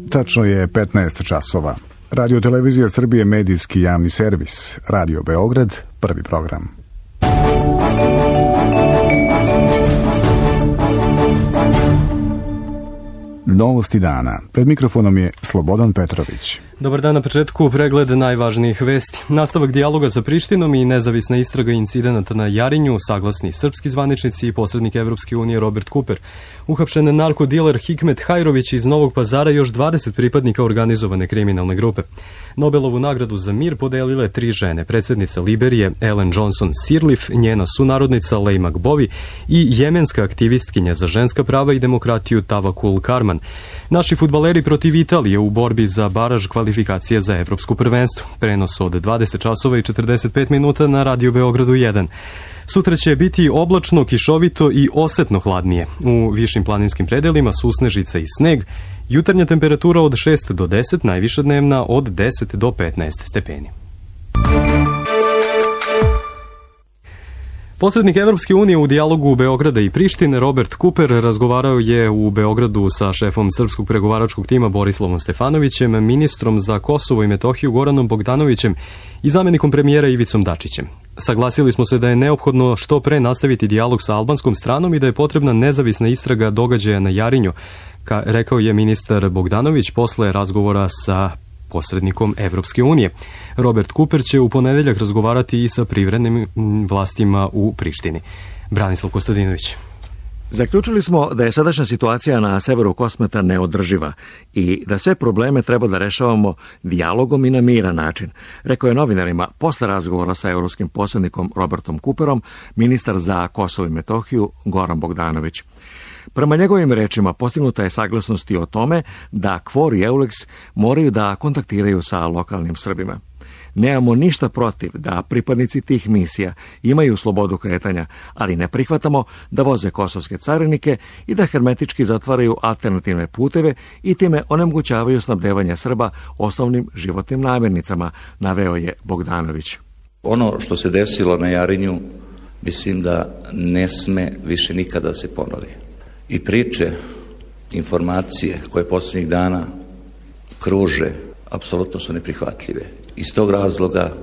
Tačno je 15 časova. Radio Televizija Srbije, medijski javni servis. Radio Beograd, prvi program. Novosti dana. Pred mikrofonom je Slobodan Petrović. Dobar dan, na početku pregled najvažnijih vesti. Nastavak dijaloga sa Prištinom i nezavisna istraga incidenata na Jarinju, saglasni srpski zvaničnici i posrednik Evropske unije Robert Kuper. Uhapšen narkodiler Hikmet Hajrović iz Novog Pazara i još 20 pripadnika organizovane kriminalne grupe. Nobelovu nagradu za mir podelile 3 žene, predsjednica Liberije Ellen Johnson Sirleaf, njena sunarodnica Leymah Gbowee i jemenska aktivistkinja za ženska prava i demokratiju Tawakkul Karman. Naši fudbaleri protiv Italije u borbi za baraž kvalifikacije za evropsko prvenstvo. Prenos od 20 časova i 45 minuta na Radio Beogradu 1. Sutra će biti oblačno, kišovito i osetno hladnije. U višim planinskim predelima susnežica i sneg. Jutarnja temperatura od 6 do 10, najviša dnevna od 10 do 15 stepeni. Posrednik Evropske unije u dijalogu Beograda i Prištine Robert Kuper razgovarao je u Beogradu sa šefom srpskog pregovaračkog tima Borislavom Stefanovićem, ministrom za Kosovo i Metohiju Goranom Bogdanovićem i zamenikom premijera Ivicom Dačićem. Saglasili smo se da je neophodno što pre nastaviti dijalog sa albanskom stranom i da je potrebna nezavisna istraga događaja na Jarinju, rekao je ministar Bogdanović posle razgovora sa posrednikom Evropske unije. Robert Kuper će u ponedeljak razgovarati i sa privremenim vlastima u Prištini. Branislav Kostadinović. Zaključili smo da je sadašnja situacija na severu Kosmeta neodrživa i da sve probleme treba da rešavamo dijalogom i na miran način, rekao je novinarima posle razgovora sa evropskim posrednikom Robertom Kuperom, ministar za Kosovo i Metohiju Goran Bogdanović. Prema njegovim rečima postignuta je saglasnost i o tome da KFOR i EULEX moraju da kontaktiraju sa lokalnim Srbima. Nemamo ništa protiv da pripadnici tih misija imaju slobodu kretanja, ali ne prihvatamo da voze kosovske carinike i da hermetički zatvaraju alternativne puteve i time onemogućavaju snabdevanje Srba osnovnim životnim namirnicama, naveo je Bogdanović. Ono što se desilo na Jarinju, mislim da ne sme više nikada da se ponovi. I priče, informacije koje posljednjih dana kruže, apsolutno su neprihvatljive. Iz tog razloga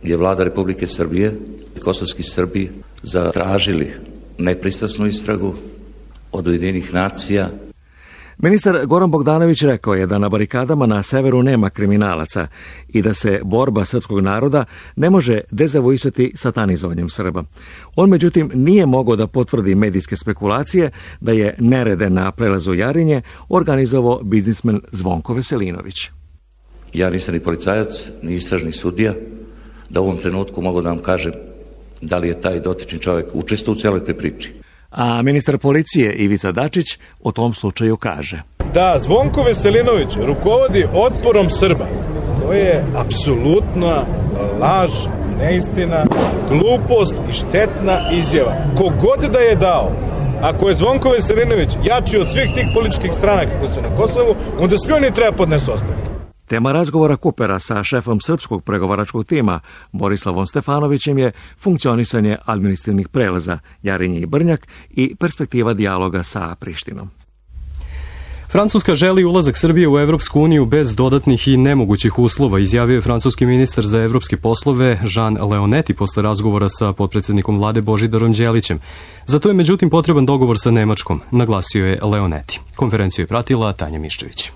je vlada Republike Srbije i kosovski Srbi zatražili nepristrasnu istragu od Ujedinjenih nacija. Ministar Goran Bogdanović rekao je da na barikadama na severu nema kriminalaca i da se borba srpskog naroda ne može dezavuisati satanizovanjem Srba. On međutim nije mogao da potvrdi medijske spekulacije da je nerede na prelazu Jarinje organizovao biznismen Zvonko Veselinović. Ja nisam ni policajac, ni istražni sudija, da u ovom trenutku mogu da vam kažem da li je taj dotični čovjek učestvovao u cijeloj toj priči. A ministar policije Ivica Dačić o tom slučaju kaže: Da Zvonko Veselinović rukovodi otporom Srba, to je apsolutna laž, neistina, glupost i štetna izjava. Kogod da je dao, ako je Zvonko Veselinović jači od svih tih političkih stranaka koji su na Kosovu, onda svi oni treba podnesu ostavku. Tema razgovora Kupera sa šefom srpskog pregovaračkog tima Borislavom Stefanovićem je funkcionisanje administrativnih prelaza Jarinje i Brnjak i perspektiva dijaloga sa Prištinom. Francuska želi ulazak Srbije u Evropsku uniju bez dodatnih i nemogućih uslova, izjavio je francuski ministar za evropske poslove Jean Leonetti posle razgovora sa potpredsjednikom vlade Božidarom Đelićem. Za to je međutim potreban dogovor sa Nemačkom, naglasio je Leonetti. Konferenciju je pratila Tanja Miščević.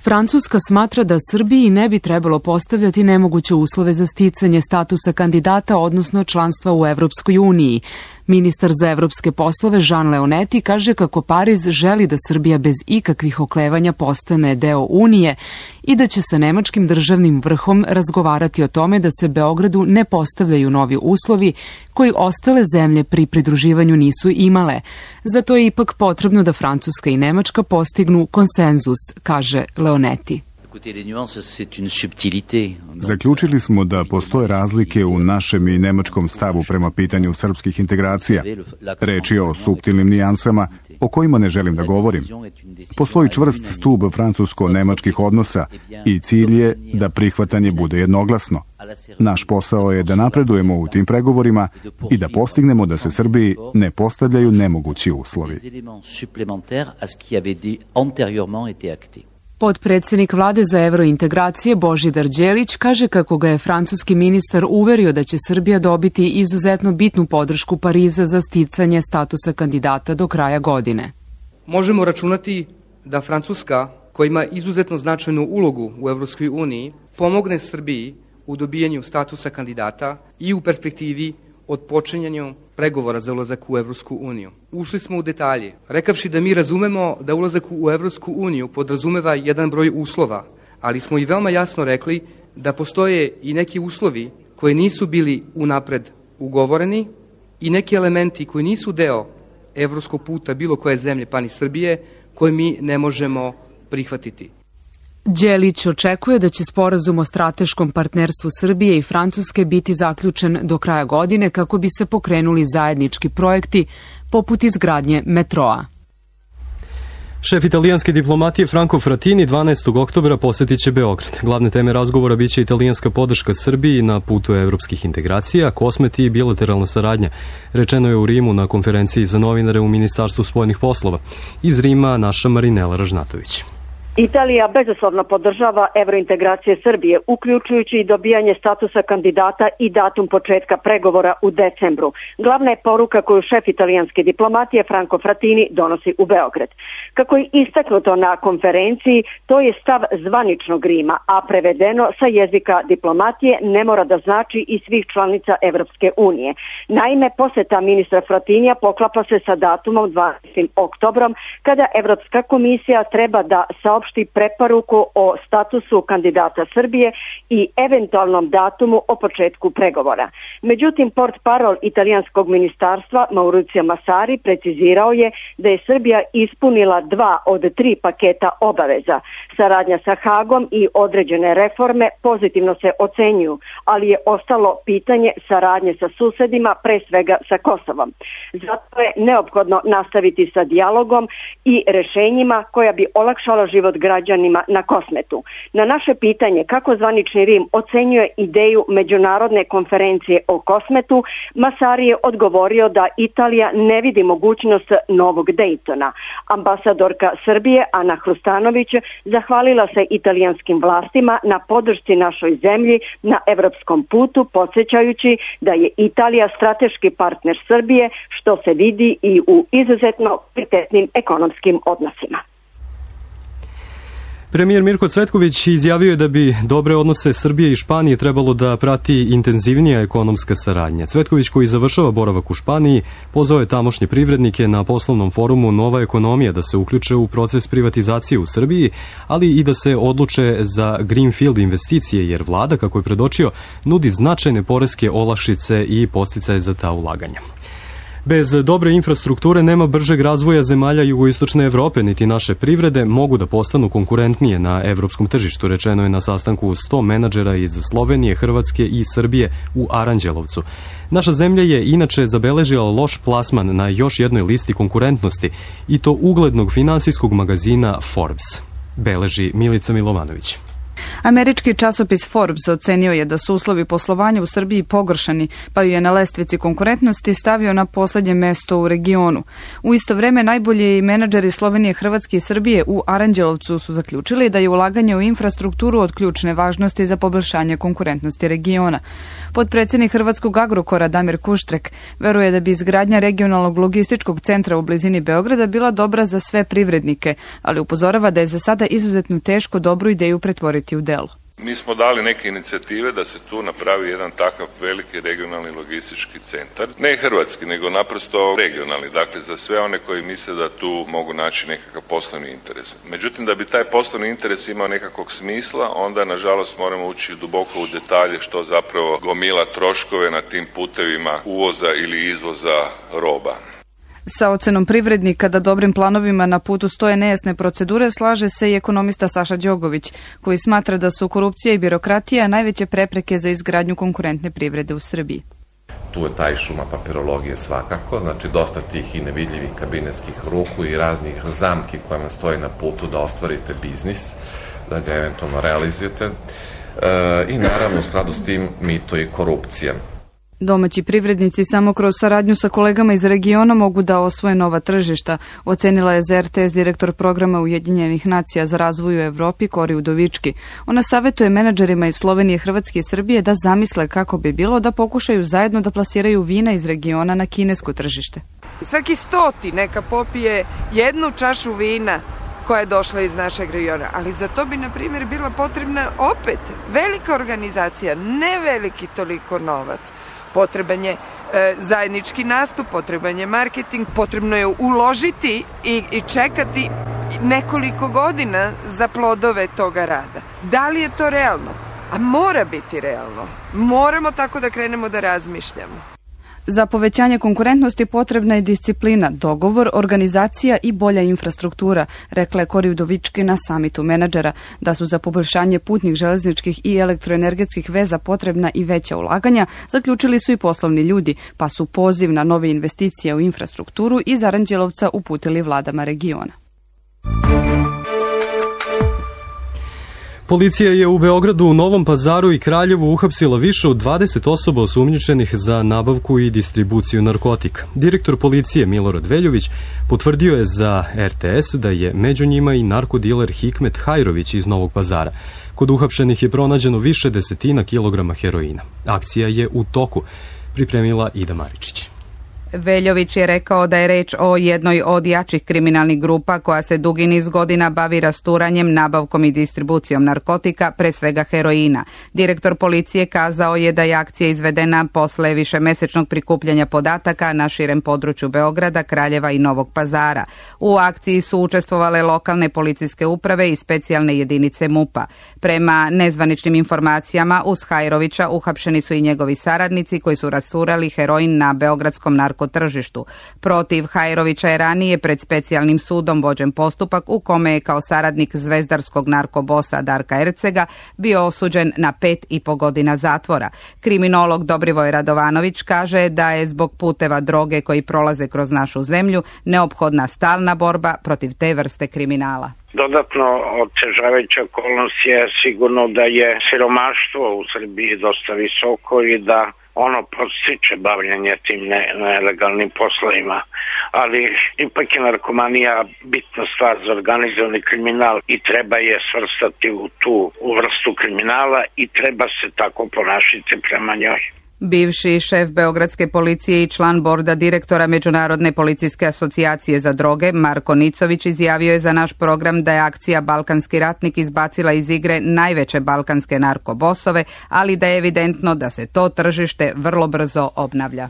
Francuska smatra da Srbiji ne bi trebalo postavljati nemoguće uslove za sticanje statusa kandidata, odnosno članstva u Evropskoj uniji. Ministar za evropske poslove Jean Leonetti kaže kako Pariz želi da Srbija bez ikakvih oklevanja postane deo Unije i da će sa nemačkim državnim vrhom razgovarati o tome da se Beogradu ne postavljaju novi uslovi koji ostale zemlje pri pridruživanju nisu imale. Zato je ipak potrebno da Francuska i Nemačka postignu konsenzus, kaže Leonetti. Zaključili smo da postoje razlike u našem i nemačkom stavu prema pitanju srpskih integracija. Reč je o suptilnim nijansama o kojima ne želim da govorim. Postoji čvrst stub francusko-nemačkih odnosa i cilj je da prihvatanje bude jednoglasno. Naš posao je da napredujemo u tim pregovorima i da postignemo da se Srbiji ne postavljaju nemogući uslovi. Potpredsednik vlade za evrointegracije Božidar Đelić kaže kako ga je francuski ministar uverio da će Srbija dobiti izuzetno bitnu podršku Pariza za sticanje statusa kandidata do kraja godine. Možemo računati da Francuska, koja ima izuzetno značajnu ulogu u Evropskoj uniji, pomogne Srbiji u dobijanju statusa kandidata i u perspektivi od počinjanju pregovora za ulazak u Evropsku uniju. Ušli smo u detalje, rekavši da mi razumemo da ulazak u Evropsku uniju podrazumeva jedan broj uslova, ali smo i veoma jasno rekli da postoje i neki uslovi koji nisu bili unapred ugovoreni i neki elementi koji nisu deo evropskog puta bilo koje zemlje, pa ni Srbije, koje mi ne možemo prihvatiti. Đelić očekuje da će sporazum o strateškom partnerstvu Srbije i Francuske biti zaključen do kraja godine kako bi se pokrenuli zajednički projekti poput izgradnje metroa. Šef italijanske diplomatije Franco Frattini 12. oktobra posetit će Beograd. Glavne teme razgovora biće italijanska podrška Srbiji na putu evropskih integracija, kosmeti i bilateralna saradnja. Rečeno je u Rimu na konferenciji za novinare u Ministarstvu spoljnih poslova. Iz Rima naša Marinela Ražnatović. Italija bezuslovno podržava evrointegracije Srbije, uključujući i dobijanje statusa kandidata i datum početka pregovora u decembru. Glavna je poruka koju šef italijanske diplomatije Franco Frattini donosi u Beograd. Kako je istaknuto na konferenciji, to je stav zvaničnog Rima, a prevedeno sa jezika diplomatije ne mora da znači i svih članica Evropske unije. Naime, poseta ministra Frattinija poklapa se sa datumom 12. oktobrom, kada Evropska komisija treba da saopšti preporuku o statusu kandidata Srbije i eventualnom datumu o početku pregovora. Međutim, portparol italijanskog ministarstva Maurizio Massari precizirao je da je Srbija ispunila 2 od 3 paketa obaveza. Saradnja sa Hagom i određene reforme pozitivno se ocenjuju, ali je ostalo pitanje saradnje sa susedima, pre svega sa Kosovom. Zato je neophodno nastaviti sa dijalogom i rešenjima koja bi olakšala život građanima na Kosmetu. Na naše pitanje kako zvanični Rim ocenjuje ideju međunarodne konferencije o Kosmetu, Massari je odgovorio da Italija ne vidi mogućnost novog Dejtona. Ambasadorka Srbije Ana Hrustanović zahvalila se italijanskim vlastima na podršci našoj zemlji na evropskom putu, podsjećajući da je Italija strateški partner Srbije, što se vidi i u izuzetno prioritetnim ekonomskim odnosima. Premijer Mirko Cvetković izjavio je da bi dobre odnose Srbije i Španije trebalo da prati intenzivnija ekonomska saradnja. Cvetković, koji završava boravak u Španiji, pozvao je tamošnje privrednike na poslovnom forumu Nova ekonomija da se uključe u proces privatizacije u Srbiji, ali i da se odluče za greenfield investicije, jer vlada, kako je predočio, nudi značajne poreske olakšice i podsticaje za ta ulaganja. Bez dobre infrastrukture nema bržeg razvoja zemalja jugoistočne Evrope, niti naše privrede mogu da postanu konkurentnije na evropskom tržištu, rečeno je na sastanku 100 menadžera iz Slovenije, Hrvatske i Srbije u Aranđelovcu. Naša zemlja je inače zabeležila loš plasman na još jednoj listi konkurentnosti, i to uglednog finansijskog magazina Forbes, beleži Milica Milovanović. Američki časopis Forbes ocenio je da su uslovi poslovanja u Srbiji pogoršani, pa ju je na lestvici konkurentnosti stavio na poslednje mesto u regionu. U isto vreme najbolji menadžeri Slovenije, Hrvatske i Srbije u Aranđelovcu su zaključili da je ulaganje u infrastrukturu od ključne važnosti za poboljšanje konkurentnosti regiona. Potpredsednik Hrvatskog Agrokora Damir Kuštrek veruje da bi izgradnja regionalnog logističkog centra u blizini Beograda bila dobra za sve privrednike, ali upozorava da je za sada izuzetno teško dobru ideju pretvoriti u delo. Mi smo dali neke inicijative da se tu napravi jedan takav veliki regionalni logistički centar. Ne hrvatski, nego naprosto regionalni. Dakle, za sve one koji misle da tu mogu naći nekakav poslovni interes. Međutim, da bi taj poslovni interes imao nekakvog smisla, onda, nažalost, moramo ući duboko u detalje što zapravo gomila troškove na tim putevima uvoza ili izvoza roba. Sa ocenom privrednika da dobrim planovima na putu stoje nejasne procedure slaže se i ekonomista Saša Đogović, koji smatra da su korupcija i birokratija najveće prepreke za izgradnju konkurentne privrede u Srbiji. tu je taj šuma papirologije svakako, znači dosta tih i nevidljivih kabinetskih ruku i raznih zamki koje vam stoji na putu da ostvarite biznis, da ga eventualno realizujete i naravno u skladu s tim mito i korupcija. Domaći privrednici samo kroz saradnju sa kolegama iz regiona mogu da osvoje nova tržišta, ocenila je za RTS direktor programa Ujedinjenih nacija za razvoj u Evropi Kori Udovički. Ona savjetuje menadžerima iz Slovenije, Hrvatske i Srbije da zamisle kako bi bilo da pokušaju zajedno da plasiraju vina iz regiona na kinesko tržište. Svaki 100 neka popije jednu čašu vina koja je došla iz našeg regiona, ali za to bi, na primjer, bila potrebna opet velika organizacija, ne veliki toliko novac. Potreban je zajednički nastup, potreban je marketing, potrebno je uložiti i čekati nekoliko godina za plodove toga rada. Da li je to realno? A mora biti realno. Moramo tako da krenemo da razmišljamo. Za povećanje konkurentnosti potrebna je disciplina, dogovor, organizacija i bolja infrastruktura, rekla je Kori Udovički na samitu menadžera, da su za poboljšanje putnih, železničkih i elektroenergetskih veza potrebna i veća ulaganja, zaključili su i poslovni ljudi, pa su poziv na nove investicije u infrastrukturu iz Aranđelovca uputili vladama regiona. Policija je u Beogradu, Novom Pazaru i Kraljevu uhapsila više od 20 osoba osumnjičenih za nabavku i distribuciju narkotika. Direktor policije Milorad Veljović potvrdio je za RTS da je među njima i narkodiler Hikmet Hajrović iz Novog Pazara. Kod uhapšenih je pronađeno više desetina kilograma heroina. Akcija je u toku, pripremila Ida Maričić. Veljović je rekao da je reč o jednoj od jačih kriminalnih grupa koja se dugi niz godina bavi rasturanjem, nabavkom i distribucijom narkotika, pre svega heroina. Direktor policije kazao je da je akcija izvedena posle višemesečnog prikupljanja podataka na širem području Beograda, Kraljeva i Novog Pazara. U akciji su učestvovale lokalne policijske uprave i specijalne jedinice MUP-a. Prema nezvaničnim informacijama, uz Hajrovića uhapšeni su i njegovi saradnici koji su rasturali heroin na beogradskom narkotržištu. Protiv Hajrovića je ranije pred specijalnim sudom vođen postupak u kome je kao saradnik zvezdarskog narkobosa Darka Ercega bio osuđen na 5,5 godina zatvora. Kriminolog Dobrivoj Radovanović kaže da je zbog puteva droge koji prolaze kroz našu zemlju neophodna stalna borba protiv te vrste kriminala. Dodatno otežavajuća okolnost je sigurno da je siromaštvo u Srbiji dosta visoko i da ono podstiče bavljanje tim nelegalnim poslovima, ali ipak je narkomanija bitna stvar za organizovani kriminal i treba je svrstati u tu vrstu kriminala i treba se tako ponašati prema njoj. Bivši šef Beogradske policije i član borda direktora Međunarodne policijske asocijacije za droge, Marko Nicović, izjavio je za naš program da je akcija Balkanski ratnik izbacila iz igre najveće balkanske narkobosove, ali da je evidentno da se to tržište vrlo brzo obnavlja.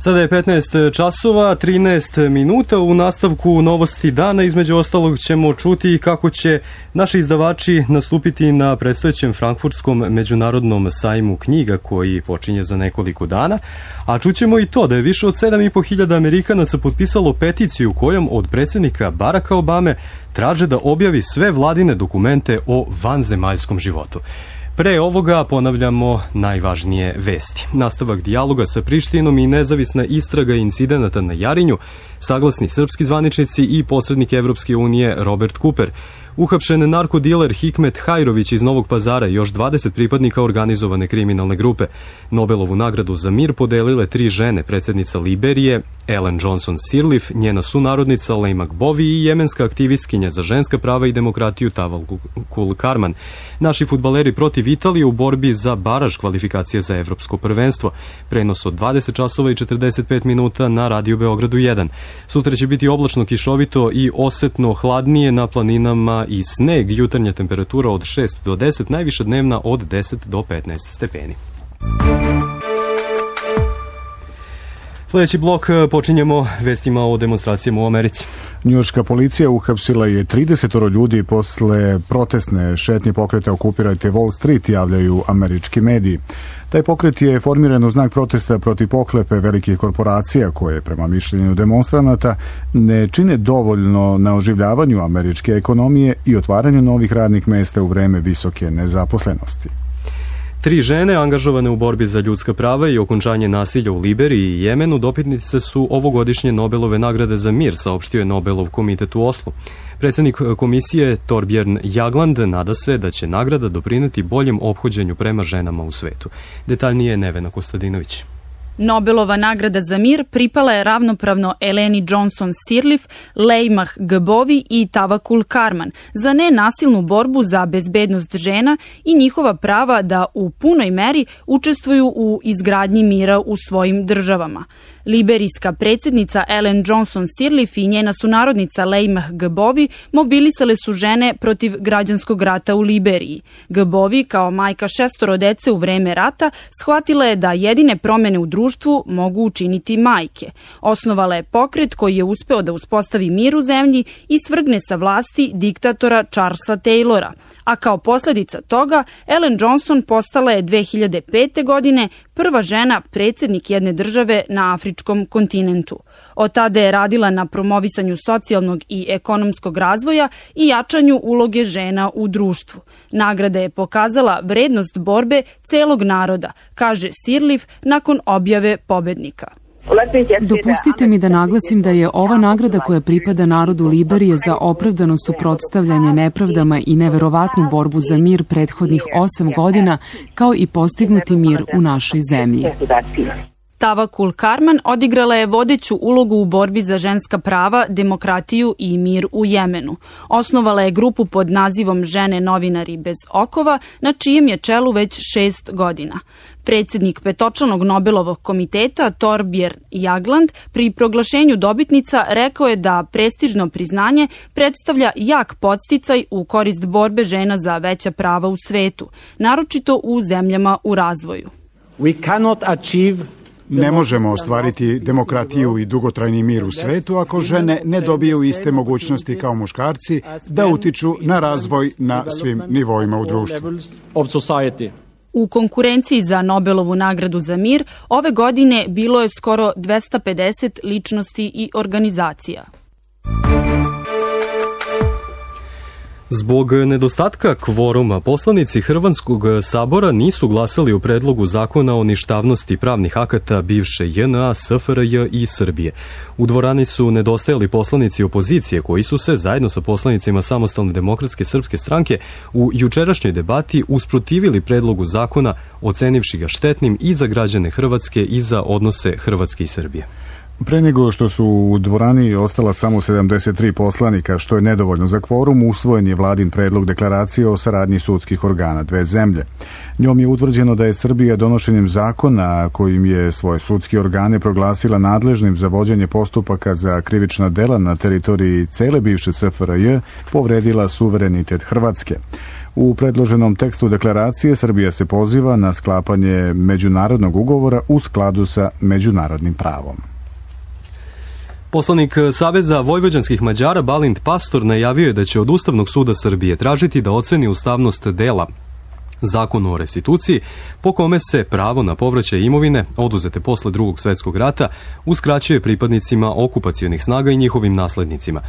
Sada je 15 časova, 13 minuta. U nastavku novosti dana, između ostalog, ćemo čuti kako će naši izdavači nastupiti na predstojećem Frankfurtskom međunarodnom sajmu knjiga koji počinje za nekoliko dana, a čućemo i to da je više od 7.500 Amerikanaca potpisalo peticiju kojom od predsjednika Baracka Obame traže da objavi sve vladine dokumente o vanzemaljskom životu. Pre ovoga ponavljamo najvažnije vesti. Nastavak dijaloga sa Prištinom i nezavisna istraga incidenata na Jarinju, saglasni srpski zvaničnici i posrednik Evropske unije Robert Cooper. Uhapšen narkodiler Hikmet Hajrović iz Novog Pazara i još 20 pripadnika organizovane kriminalne grupe. Nobelovu nagradu za mir podelile 3 žene, predsjednica Liberije Ellen Johnson Sirleaf, njena sunarodnica Lejmak Bovi i jemenska aktivistkinja za ženska prava i demokratiju Tawakkul Karman. Naši fudbaleri protiv Italije u borbi za baraž kvalifikacije za evropsko prvenstvo. Prenos od 20 časova i 45 minuta na Radio Beogradu 1. Sutra će biti oblačno, kišovito i osetno hladnije na planinama i sneg, jutarnja temperatura od 6 do 10, najviša dnevna od 10 do 15 stepeni. Sljedeći blok počinjemo vestima o demonstracijama u Americi. Njujorška policija uhapsila je 30 ljudi posle protestne šetnje pokreta Okupirajte Wall Street, javljaju američki mediji. Taj pokret je formiran u znak protesta protiv pohlepe velikih korporacija koje, prema mišljenju demonstranata, ne čine dovoljno na oživljavanju američke ekonomije i otvaranju novih radnih mesta u vreme visoke nezaposlenosti. 3 žene angažovane u borbi za ljudska prava i okončanje nasilja u Liberiji i Jemenu dobitnice su ovogodišnje Nobelove nagrade za mir, saopštio je Nobelov komitet u Oslu. Predsjednik komisije Torbjörn Jagland nada se da će nagrada doprineti boljem ophođenju prema ženama u svetu. Detaljnije je Nevena Kostadinović. Nobelova nagrada za mir pripala je ravnopravno Eleni Johnson Sirleaf, Leymah Gbowee i Tawakkul Karman za nenasilnu borbu za bezbednost žena i njihova prava da u punoj meri učestvuju u izgradnji mira u svojim državama. Liberijska predsjednica Ellen Johnson Sirleaf i njena sunarodnica Leymah Gbowee mobilisale su žene protiv građanskog rata u Liberiji. Gbowee, kao majka 6 dece u vreme rata, shvatila je da jedine promjene u društvu mogu učiniti majke. Osnovala je pokret koji je uspeo da uspostavi mir u zemlji i svrgne sa vlasti diktatora Charlesa Taylora. A kao posljedica toga, Ellen Johnson postala je 2005. godine prva žena predsjednik jedne države na afričkom kontinentu. Od tada je radila na promovisanju socijalnog i ekonomskog razvoja i jačanju uloge žena u društvu. Nagrada je pokazala vrednost borbe celog naroda, kaže Sirleaf nakon objave pobednika. Dopustite mi da naglasim da je ova nagrada koja pripada narodu Liberije za opravdano suprotstavljanje nepravdama i neverovatnu borbu za mir prethodnih 8 godina, kao i postignuti mir u našoj zemlji. Tawakkul Karman odigrala je vodeću ulogu u borbi za ženska prava, demokratiju i mir u Jemenu. Osnovala je grupu pod nazivom Žene novinari bez okova, na čijem je čelu već 6 godina. Predsjednik petočlanog Nobelovog komiteta Torbjörn Jagland pri proglašenju dobitnica rekao je da prestižno priznanje predstavlja jak podsticaj u korist borbe žena za veća prava u svetu, naročito u zemljama u razvoju. Ne možemo ostvariti demokratiju i dugotrajni mir u svetu ako žene ne dobiju iste mogućnosti kao muškarci da utiču na razvoj na svim nivoima u društvu. U konkurenciji za Nobelovu nagradu za mir ove godine bilo je skoro 250 ličnosti i organizacija. Zbog nedostatka kvoruma, poslanici Hrvatskog sabora nisu glasali o predlogu zakona o ništavnosti pravnih akata bivše JNA, SFRJ i Srbije. U dvorani su nedostajali poslanici opozicije koji su se zajedno sa poslanicima Samostalne demokratske srpske stranke u jučerašnjoj debati usprotivili predlogu zakona, ocenivši ga štetnim i za građane Hrvatske i za odnose Hrvatske i Srbije. Pre nego što su u dvorani ostala samo 73 poslanika, što je nedovoljno za kvorum, usvojen je vladin predlog deklaracije o saradnji sudskih organa dve zemlje. Njom je utvrđeno da je Srbija donošenjem zakona kojim je svoje sudske organe proglasila nadležnim za vođenje postupaka za krivična dela na teritoriji cele bivše SFRJ povredila suverenitet Hrvatske. U predloženom tekstu deklaracije Srbija se poziva na sklapanje međunarodnog ugovora u skladu sa međunarodnim pravom. Poslanik Saveza vojvođanskih Mađara Balint Pastor najavio je da će od Ustavnog suda Srbije tražiti da oceni ustavnost dela Zakonu o restituciji, po kome se pravo na povraćaj imovine oduzete posle Drugog svjetskog rata uskraćuje pripadnicima okupacionih snaga i njihovim naslednicima.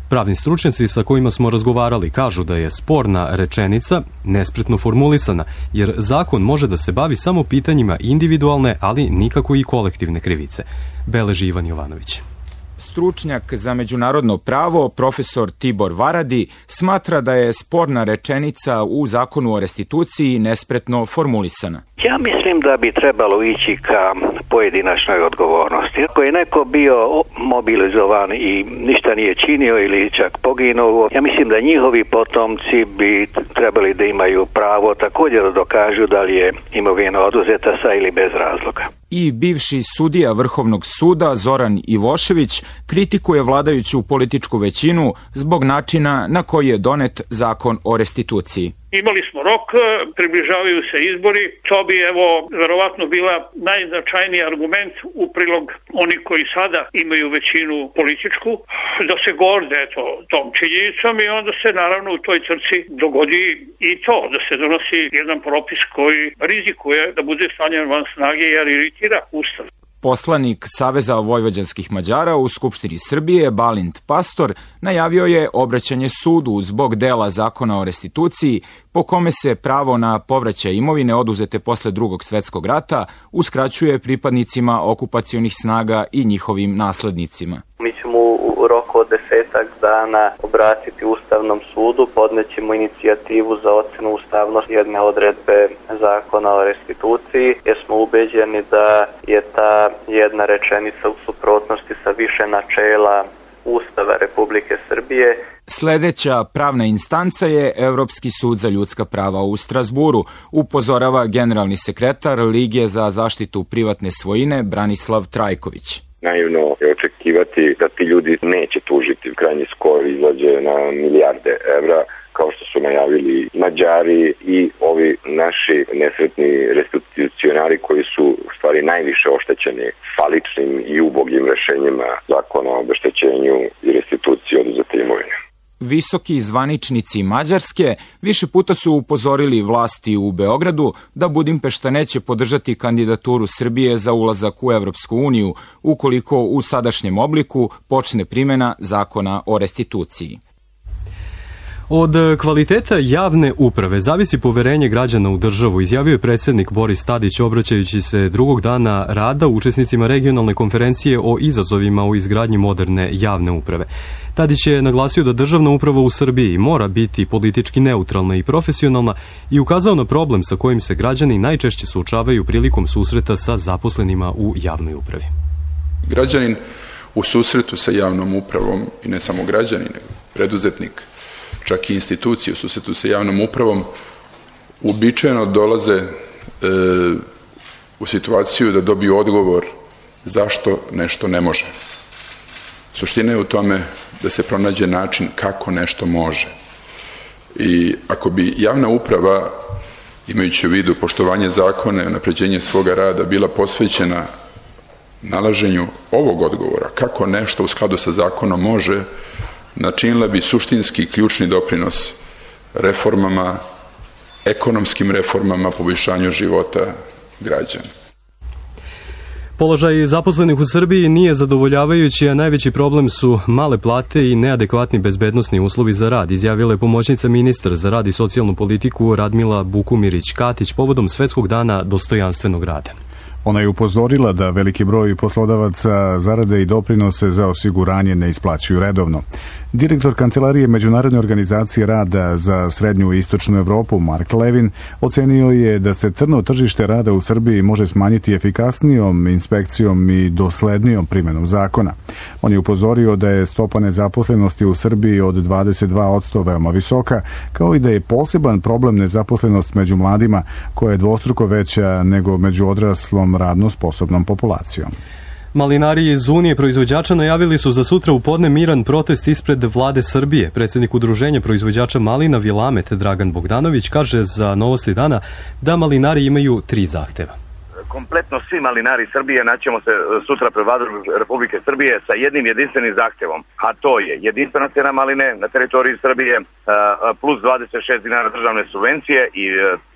Pravni stručnjaci sa kojima smo razgovarali kažu da je sporna rečenica nespretno formulisana, jer zakon može da se bavi samo pitanjima individualne, ali nikako i kolektivne krivice. Beleži Ivan Jovanović. Stručnjak za međunarodno pravo, profesor Tibor Varadi, smatra da je sporna rečenica u zakonu o restituciji nespretno formulisana. Ja mislim da bi trebalo ići ka pojedinačnoj odgovornosti. Ako je neko bio mobilizovan i ništa nije činio ili čak poginuo, ja mislim da njihovi potomci bi trebali da imaju pravo također da dokažu da li je imovina oduzeta sa ili bez razloga. I bivši sudija Vrhovnog suda Zoran Ivošević kritikuje vladajuću političku većinu zbog načina na koji je donet zakon o restituciji. Imali smo rok, približavaju se izbori, to bi verovatno bila najznačajniji argument u prilog oni koji sada imaju većinu političku, da se gorde tom činjenicom i onda se naravno u toj trci dogodi i to, da se donosi jedan propis koji rizikuje da bude stavljen van snage jer iritira Ustav. Poslanik Saveza vojvođanskih Mađara u Skupštini Srbije, Balint Pastor, najavio je obraćanje sudu zbog dela zakona o restituciji, po kome se pravo na povraćaj imovine oduzete posle Drugog svetskog rata uskraćuje pripadnicima okupacionih snaga i njihovim naslednicima. Mi ćemo u roku od 10 dana obratiti Ustavnom sudu, podnećemo inicijativu za ocenu ustavnosti jedne odredbe zakona o restituciji, jer smo ubeđeni da je ta jedna rečenica u suprotnosti sa više načela Ustava Republike Srbije. Sledeća pravna instanca je Evropski sud za ljudska prava u Strazburu, upozorava generalni sekretar Lige za zaštitu privatne svojine Branislav Trajković. Naivno je očekivati da ti ljudi neće tužiti. Krajnji skor izlađe na milijarde evra, kao što su najavili Mađari i ovi naši nesretni restitucionari koji su u stvari najviše oštećeni faličnim i ubogim rešenjima zakona o obeštećenju i restituciji oduzete imovine. Visoki zvaničnici Mađarske više puta su upozorili vlasti u Beogradu da Budimpešta neće podržati kandidaturu Srbije za ulazak u Evropsku uniju ukoliko u sadašnjem obliku počne primjena zakona o restituciji. Od kvaliteta javne uprave zavisi poverenje građana u državu, izjavio je predsjednik Boris Tadić obraćajući se drugog dana rada učesnicima regionalne konferencije o izazovima u izgradnji moderne javne uprave. Tadić je naglasio da državna uprava u Srbiji mora biti politički neutralna i profesionalna i ukazao na problem sa kojim se građani najčešće suočavaju prilikom susreta sa zaposlenima u javnoj upravi. Građanin u susretu sa javnom upravom, i ne samo građanin, nego preduzetnik, čak i institucije u susretu sa javnom upravom, uobičajeno dolaze u situaciju da dobiju odgovor zašto nešto ne može. Suština je u tome da se pronađe način kako nešto može. I ako bi javna uprava, imajući u vidu poštovanje zakona i unapređenje svoga rada, bila posvećena nalaženju ovog odgovora, kako nešto u skladu sa zakonom može, načinila bi suštinski ključni doprinos reformama, ekonomskim reformama, poboljšanju života građana. Položaj zaposlenih u Srbiji nije zadovoljavajući, a najveći problem su male plate i neadekvatni bezbednosni uslovi za rad, izjavila je pomoćnica ministra za rad i socijalnu politiku Radmila Bukumirić-Katić povodom Svetskog dana dostojanstvenog rada. Ona je upozorila da veliki broj poslodavaca zarade i doprinose za osiguranje ne isplaćuju redovno. Direktor Kancelarije Međunarodne organizacije rada za srednju i istočnu Evropu, Mark Levin, ocenio je da se crno tržište rada u Srbiji može smanjiti efikasnijom inspekcijom i doslednijom primjenom zakona. On je upozorio da je stopa nezaposlenosti u Srbiji od 22% veoma visoka, kao i da je poseban problem nezaposlenost među mladima, koja je dvostruko veća nego među odraslom radno sposobnom populacijom. Malinari iz Unije proizvođača najavili su za sutra u podne miran protest ispred vlade Srbije. Predsjednik udruženja proizvođača malina Vilamet Dragan Bogdanović kaže za Novosti dana da malinari imaju 3 zahteva. Kompletno svi malinari Srbije naćemo se sutra pred Vladom Republike Srbije sa jednim jedinstvenim zahtevom, a to je jedinstvena cena maline na teritoriji Srbije plus 26 dinara državne subvencije i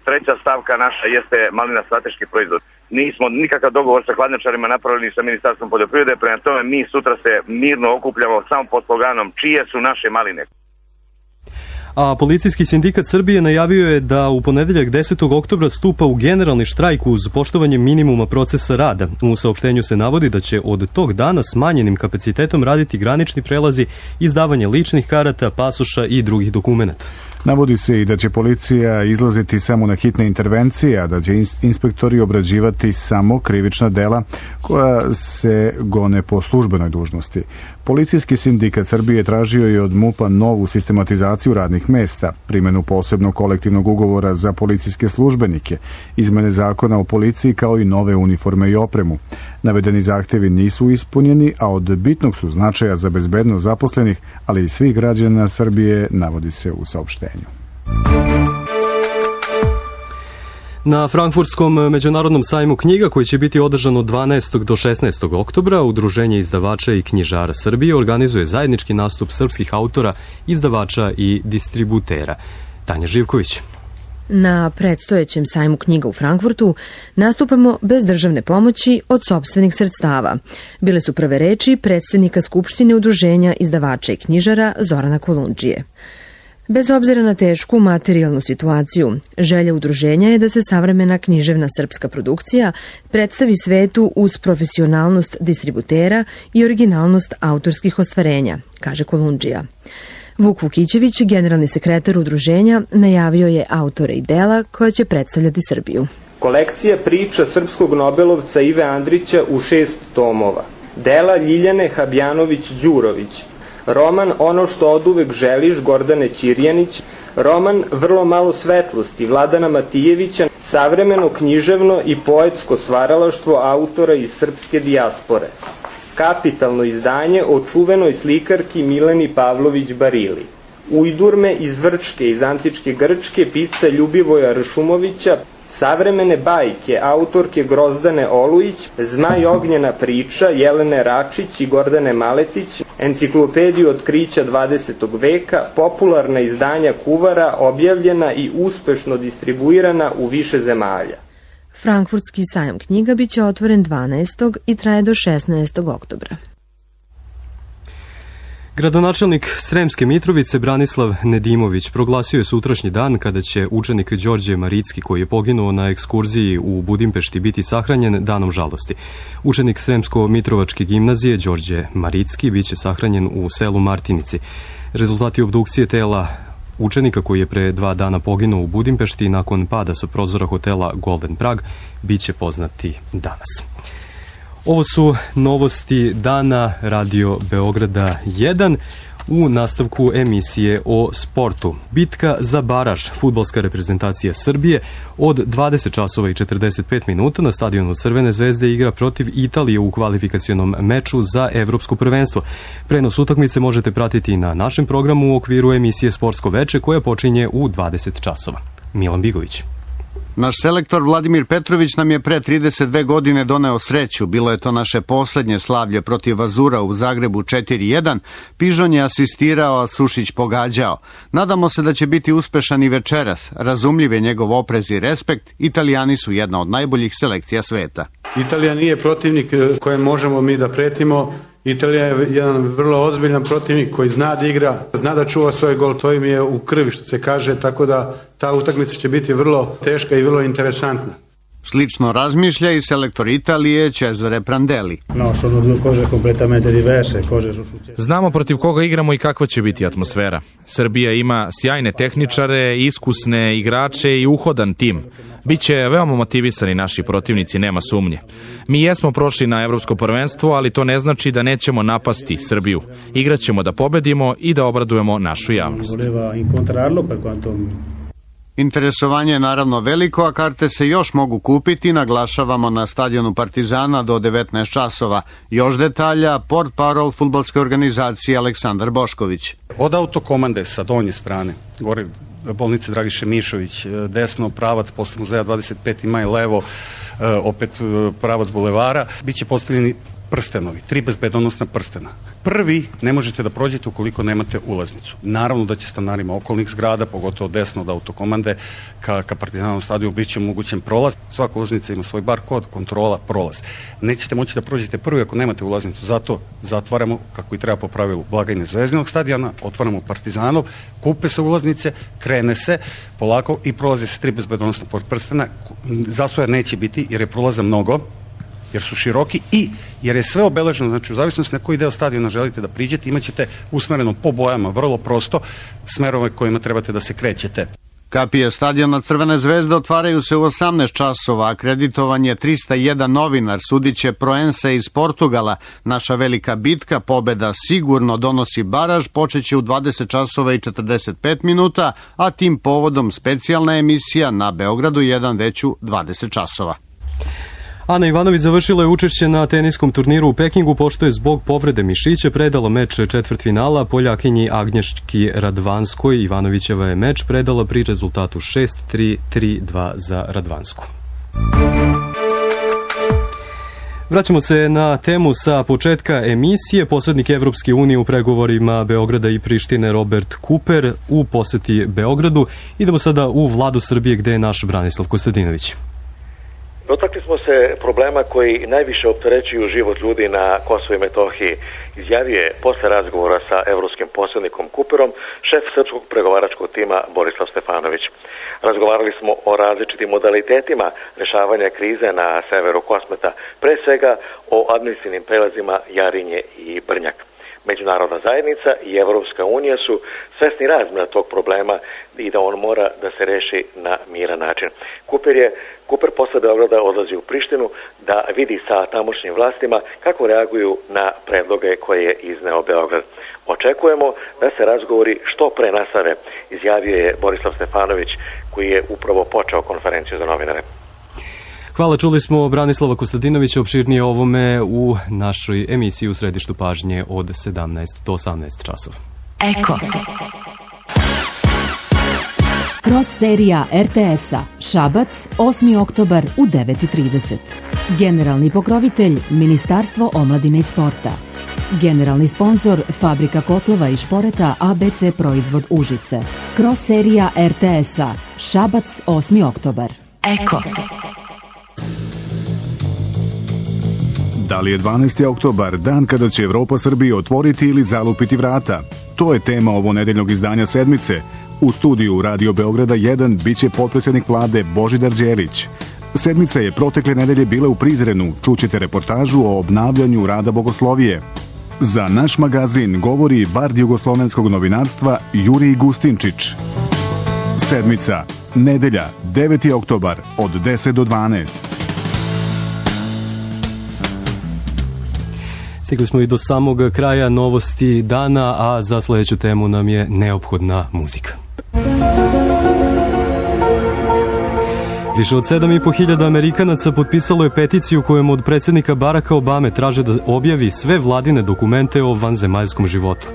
treća stavka naša jeste malina strateški proizvod. Nismo nikakav dogovor sa hladnjačarima napravili sa Ministarstvom poljoprivrede, prema tome mi sutra se mirno okupljamo samo pod sloganom čije su naše maline. A policijski sindikat Srbije najavio je da u ponedeljak 10. oktobra stupa u generalni štrajk uz poštovanje minimuma procesa rada. U saopštenju se navodi da će od tog dana smanjenim kapacitetom raditi granični prelazi, izdavanje ličnih karata, pasoša i drugih dokumenata. Navodi se i da će policija izlaziti samo na hitne intervencije, a da će inspektori obrađivati samo krivična dela koja se gone po službenoj dužnosti. Policijski sindikat Srbije tražio je od MUP-a novu sistematizaciju radnih mesta, primjenu posebnog kolektivnog ugovora za policijske službenike, izmene zakona o policiji kao i nove uniforme i opremu. Navedeni zahtevi nisu ispunjeni, a od bitnog su značaja za bezbednost zaposlenih, ali i svih građana Srbije, navodi se u saopštenju. Na Frankfurtskom međunarodnom sajmu knjiga, koji će biti održan od 12. do 16. oktobra, Udruženje izdavača i knjižara Srbije organizuje zajednički nastup srpskih autora, izdavača i distributera. Tanja Živković. Na predstojećem sajmu knjiga u Frankfurtu nastupamo bez državne pomoći od sopstvenih sredstava. Bile su prve reči predsjednika Skupštine udruženja izdavača i knjižara Zorana Kolundžije. Bez obzira na tešku materijalnu situaciju, želja udruženja je da se savremena književna srpska produkcija predstavi svetu uz profesionalnost distributera i originalnost autorskih ostvarenja, kaže Kolundžija. Vuk Vukićević, generalni sekretar udruženja, najavio je autore i dela koja će predstavljati Srbiju. Kolekcija priča srpskog nobelovca Ive Andrića u 6 tomova. Dela Ljiljane Habjanović-Đurović. Roman Ono što oduvek želiš Gordane Ćirjanić. Roman Vrlo malo svetlosti Vladana Matijevića. Savremeno književno i poetsko stvaralaštvo autora iz srpske dijaspore. Kapitalno izdanje o čuvenoj slikarki Mileni Pavlović-Barili. Ujdurme iz Vrčke iz antičke Grčke pisca Ljubivoja Ršumovića. Savremene bajke autorke Grozdane Olujić, Zmaj ognjena priča Jelene Račić i Gordane Maletić, enciklopediju otkrića 20. veka, popularna izdanja kuvara objavljena i uspešno distribuirana u više zemalja. Frankfurtski sajam knjiga biće otvoren 12. i traje do 16. oktobra. Gradonačelnik Sremske Mitrovice Branislav Nedimović proglasio je sutrašnji dan kada će učenik Đorđe Maricki, koji je poginuo na ekskurziji u Budimpešti, biti sahranjen danom žalosti. Učenik Sremsko-Mitrovačke gimnazije Đorđe Maricki biće sahranjen u selu Martinici. Rezultati obdukcije tela učenika koji je pre 2 dana poginuo u Budimpešti nakon pada sa prozora hotela Golden Prag biće poznati danas. Ovo su novosti dana Radio Beograda 1 u nastavku emisije o sportu. Bitka za baraž, fudbalska reprezentacija Srbije od 20 časova i 45 minuta na stadionu Crvene zvezde igra protiv Italije u kvalifikacionom meču za evropsko prvenstvo. Prenos utakmice možete pratiti i na našem programu u okviru emisije Sportsko veče koja počinje u 20 časova. Milan Bigović. Naš selektor Vladimir Petrović nam je pre 32 godine doneo sreću. Bilo je to naše poslednje slavlje protiv Azura u Zagrebu 4-1. Pižon je asistirao, a Sušić pogađao. Nadamo se da će biti uspešan i večeras. Razumljiv je njegov oprez i respekt. Italijani su jedna od najboljih selekcija sveta. Italija nije protivnik kojem možemo mi da pretimo. Italija je jedan vrlo ozbiljan protivnik koji zna da igra, zna da čuva svoj gol, to im je u krvi što se kaže, tako da ta utakmica će biti vrlo teška i vrlo interesantna. Slično razmišlja i selektor Italije Cesare Prandelli. Znamo protiv koga igramo i kakva će biti atmosfera. Srbija ima sjajne tehničare, iskusne igrače i uhodan tim. Biće veoma motivisani naši protivnici, nema sumnje. Mi jesmo prošli na evropsko prvenstvo, ali to ne znači da nećemo napasti Srbiju. Igraćemo da pobedimo i da obradujemo našu javnost. Interesovanje je naravno veliko, a karte se još mogu kupiti, naglašavamo na stadionu Partizana do 19 časova. Još detalja, portparol fudbalske organizacije Aleksandar Bošković. Od autokomande sa donje strane, gore bolnice Dragiše Mišović, desno pravac posle muzeja 25. maj, levo opet pravac bulevara, bit će postavljeni prstenovi, 3 bezbedonosna prstena. Prvi ne možete da prođete ukoliko nemate ulaznicu. Naravno da će stanarima okolnih zgrada, pogotovo desno od autokomande, ka Partizanovom stadionu bit će omogućen prolaz. Svaka ulaznica ima svoj bar kod, kontrola, prolaz. Nećete moći da prođete prvi ako nemate ulaznicu, zato zatvaramo, kako i treba po pravilu, blagajne Zvezdinog stadiona, otvaramo Partizanov, kupe se ulaznice, krene se polako i prolaze se 3 bezbedonosna prstena. Zastoja neće biti jer je prolaza mnogo, jer su široki i jer je sve obeleženo, znači u zavisnosti na koji deo stadiona želite da priđete, imaćete usmereno po bojama, vrlo prosto, smerove kojima trebate da se krećete. Kapije stadiona Crvene zvezde otvaraju se u 18 časova, akreditovan je 301 novinar, sudiće Proense iz Portugala. Naša velika bitka, pobeda sigurno donosi baraž, počeće u 20 časova i 45 minuta, a tim povodom specijalna emisija na Beogradu 1 već u 20 časova. Ana Ivanović završila je učešće na teniskom turniru u Pekingu, pošto je zbog povrede mišića predala meč četvrtfinala Poljakinji Agnješki Radvanskoj. Ivanovićeva je meč predala pri rezultatu 6-3, 3-2 za Radvansku. Vraćamo se na temu sa početka emisije. Posrednik Evropske unije u pregovorima Beograda i Prištine Robert Kuper u poseti Beogradu. Idemo sada u Vladu Srbije gde je naš Branislav Kostadinović. Dotakli smo se problema koji najviše opterećuju život ljudi na Kosovu i Metohiji. Izjavio je posle razgovora sa evropskim posrednikom Kuperom šef srpskog pregovaračkog tima Borislav Stefanović. Razgovarali smo o različitim modalitetima rešavanja krize na severu Kosmeta, pre svega o administrativnim prelazima Jarinje i Brnjak. Međunarodna zajednica i Evropska unija su svesni razmera tog problema i da on mora da se reši na miran način. Kuper posle Beograda odlazi u Prištinu da vidi sa tamošnjim vlastima kako reaguju na predloge koje je izneo Beograd. Očekujemo da se razgovori što pre nastave, izjavio je Borislav Stefanović, koji je upravo počeo konferenciju za novinare. Hvala, čuli smo Branislava Kostadinovića, opširnije ovome u našoj emisiji u središtu pažnje od 17 do 18 časova. Eko. Cross serija RTS-a Šabac, 8. oktobar u 9:30. Generalni pokrovitelj Ministarstvo omladine i sporta. Generalni sponsor Fabrika kotlova i šporeta ABC Proizvod Užice. Cross serija RTS-a Šabac, 8. oktobar. Eko. Da li je 12. oktobar dan kada će Evropa Srbiji otvoriti ili zalupiti vrata? To je tema ovo nedeljnog izdanja Sedmice. U studiju Radio Beograda 1 biće potpredsjednik vlade Božidar Đelić. Sedmica je protekle nedelje bila u Prizrenu. Čućete reportažu o obnavljanju rada bogoslovije. Za naš magazin govori bard jugoslovenskog novinarstva Jurij Gustinčić. Sedmica, nedelja, 9. oktobar od 10 do 12. Stigli smo i do samog kraja novosti dana, a za sledeću temu nam je neophodna muzika. Više od 7.500 Amerikanaca potpisalo je peticiju kojom od predsjednika Baracka Obame traže da objavi sve vladine dokumente o vanzemaljskom životu.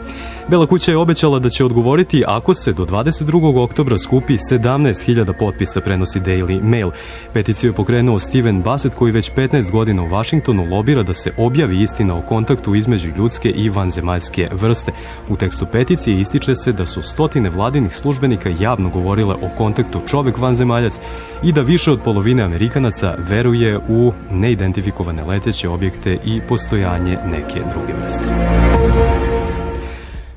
Bela kuća je obećala da će odgovoriti ako se do 22. oktobra skupi 17.000 potpisa, prenosi Daily Mail. Peticiju je pokrenuo Steven Bassett, koji već 15 godina u Vašingtonu lobira da se objavi istina o kontaktu između ljudske i vanzemaljske vrste. U tekstu peticije ističe se da su stotine vladinih službenika javno govorile o kontaktu čovek-vanzemaljac i da više od polovine Amerikanaca veruje u neidentifikovane leteće objekte i postojanje neke druge vrste.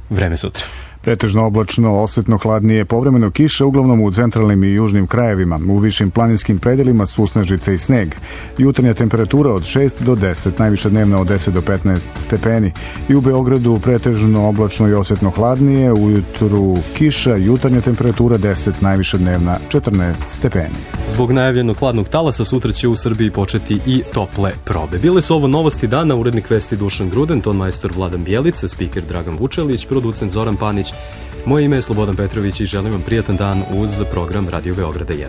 Vreme sutra. Pretežno oblačno, osetno hladnije, povremeno kiša, uglavnom u centralnim i južnim krajevima. U višim planinskim predelima susnežice i sneg. Jutarnja temperatura od 6 do 10, najviša dnevna od 10 do 15 stepeni. I u Beogradu pretežno oblačno i osetno hladnije, ujutru kiša, jutarnja temperatura 10, najviša dnevna 14 stepeni. Zbog najavljenog hladnog talasa sutra će u Srbiji početi i tople probe. Bile su ovo novosti dana, urednik vesti Dušan Gruden, ton majstor Vladan Bjelica, spiker Dragan Vučelić, producent Zoran Panić. Moje ime je Slobodan Petrović i želim vam prijatan dan uz program Radio Beograda 1.